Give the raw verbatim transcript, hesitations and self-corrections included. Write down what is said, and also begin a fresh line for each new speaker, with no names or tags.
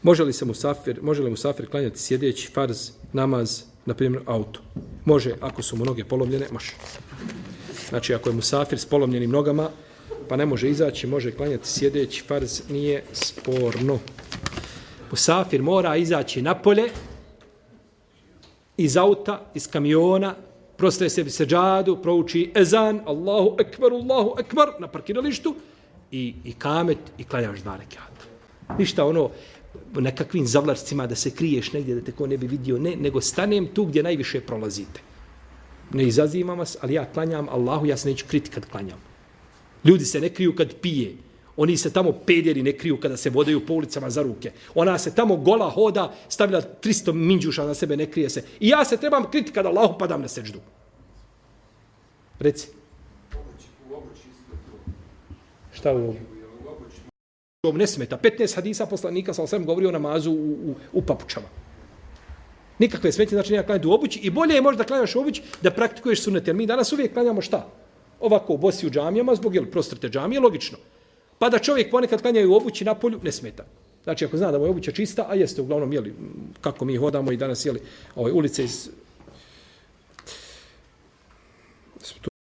Može li se musafir, može li musafir klanjati sjedeći farz, namaz, na primjer auto? Može, ako su mu noge polomljene, može. Znači, ako je musafir s polomljenim nogama, pa ne može izaći, može klanjati sjedeći farz, nije sporno. Musafir mora izaći napolje, iz auta, iz kamiona, prostaje sebi seđadu, prouči ezan, Allahu ekber, Allahu ekber, na parkiralištu, i, i kamet, i klanjaš dva rekata. Ništa ono, nekakvim zavlarcima da se kriješ negdje, da te ko ne bi vidio, ne, nego stanem tu gdje najviše prolazite. Ne izazivam vas, ali ja klanjam Allahu, ja se neću kriti kad klanjam. Ljudi se ne kriju kad pije. Oni se tamo pederi ne kriju kada se vodaju po ulicama za ruke. Ona se tamo gola hoda, stavlja tristo minđuša na sebe, ne krije se. I ja se trebam kriti kada Allahu padam na seđdu. Reci. Šta u ovom? Ovo ne smeta. petnaest hadisa poslanika sam sam govorio o namazu u, u, u papučama. Nikakve smetnje, znači nema klanjati u obući. I bolje je možda klanjaš u obući da praktikuješ sunnet. Jer mi danas uvijek klanjamo šta? Ovako, bosi u džamijama, zbog jel, prostrte džamije, logično. Pa da čovjek ponekad klanja u obući na polju, ne smeta. Znači, ako zna da mu je obuća čista, a jeste uglavnom, jeli, kako mi hodamo i danas, jeli, ovaj, ulice iz